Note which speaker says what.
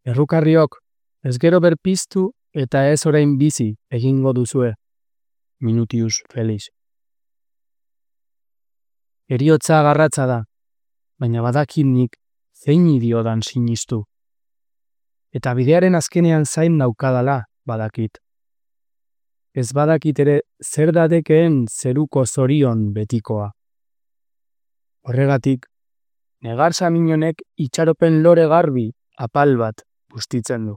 Speaker 1: Errukarriok, ez gero berpiztu eta ez orain bizi egingo duzue. Minutius Felix. Heriotza garratza da, baina badakit nik zein idiodan sinistu. Eta bidearen azkenean zain naukadala badakit. Ez badakit ere zer dadekeen zeruko zorion betikoa. Horregatik, negar saminonek itxaropen lore garbi apal bat bustitzen du.